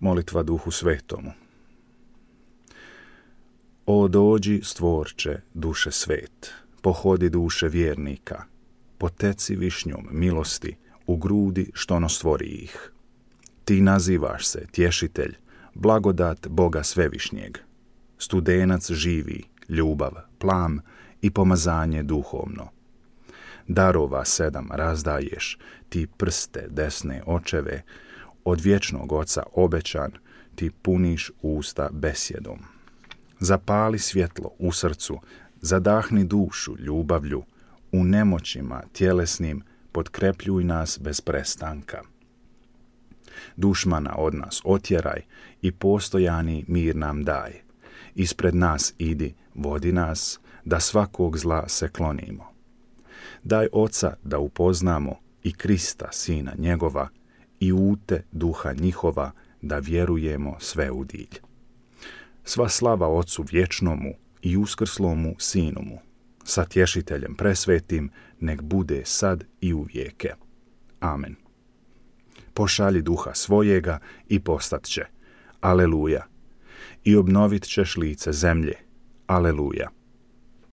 Molitva Duhu Svetomu. O dođi, stvorče, duše svet, pohodi duše vjernika, poteci višnjom milosti u grudi što ono stvori ih. Ti nazivaš se tješitelj, blagodat Boga svevišnjeg, studenac živi, ljubav, plam i pomazanje duhovno. Darova 7 razdaješ, ti prste desne očeve, od vječnog Oca obećan, ti puniš usta besjedom. Zapali svjetlo u srcu, zadahni dušu ljubavlju, u nemoćima tjelesnim potkrepljuj nas bez prestanka. Dušmana od nas otjeraj i postojani mir nam daj. Ispred nas idi, vodi nas, da svakog zla se klonimo. Daj Oca da upoznamo i Krista, Sina njegova, i ute duha njihova, da vjerujemo sve u dilj. Sva slava Ocu vječnomu i uskrslomu Sinumu, sa Tješiteljem presvetim, nek bude sad i u vijeke. Amen. Pošalji duha svojega i postat će. Aleluja. I obnovit ćeš lice zemlje. Aleluja.